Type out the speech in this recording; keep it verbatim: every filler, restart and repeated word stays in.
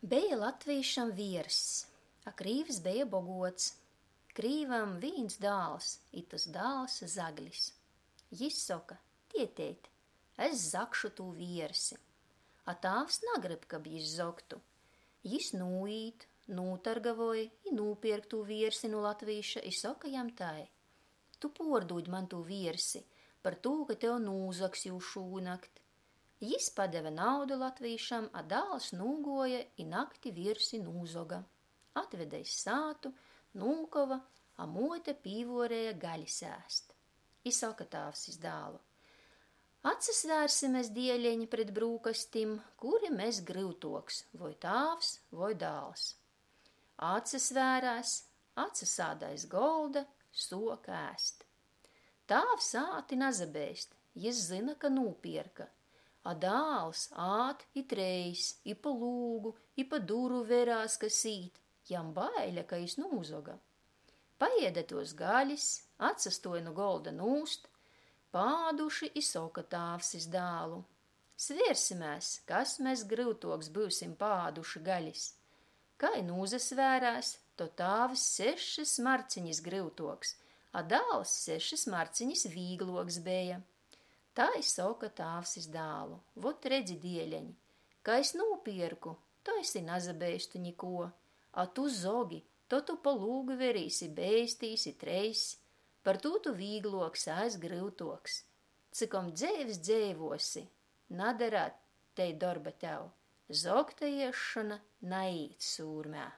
Beja latvīšam vierss, a krīvs beja boguots. Krīvam vīns dāls, i tys dāls zaglis. Jis soka: "Tieteit, es zagšu tū viersi." A tāvs nagryb, kab jis zogtu. Jis nūīt, nūtargavoj i nūpierk tū viersi nu latvīša i soka jam tai: "Tu puordūd maņ tū viersi, par tū, ka tev nūzags jū šūnakt." Jis padeve naudu latvīšam, a dāls nūguoja i nakti viersi nūzoga. Atvede iz sātu, nūkova, a muote pīvuoreja galis ēst. I soka tāvs iz dālu: "Atsasvērsimies, dieleņ, pret brūkastim, kuri mes gryutuoks, voi tāvs, voi dāls." Atsasvērēs, atsasāda aiz golda, suoka ēst. Tāvs ād i nasabeist, jis zyna, ka nūpierka. A dāls ād i treis, i pa lūgu, i pa duru verās, kas īt, jam baiļa, ka jis nūzoga. Paēde tuos galis, atsastuoj nu golda nūst, paāduši i soka tāvs iz dālu: "Svērsimēs, kas mes gryutuoks byusim paāduši galis." Kai nūsasvērēs, to tāvs sešys marcinis gryutuoks, a dāls sešys marcinis vīgluoks beja. Tai soka tāvs iz dālu: "Vot redzi, dieleņ, ka es nūpierku, to es i nasabeistu nikuo, a tu zogi, to tu pa lūgu verīs i beistīs i treis, par tū tu vīgluoks, a es gryutuoks. Cikom dzeivs dzeivuosi, nadarēt tei dorba tev, zogta iesšona naīt sūrmē."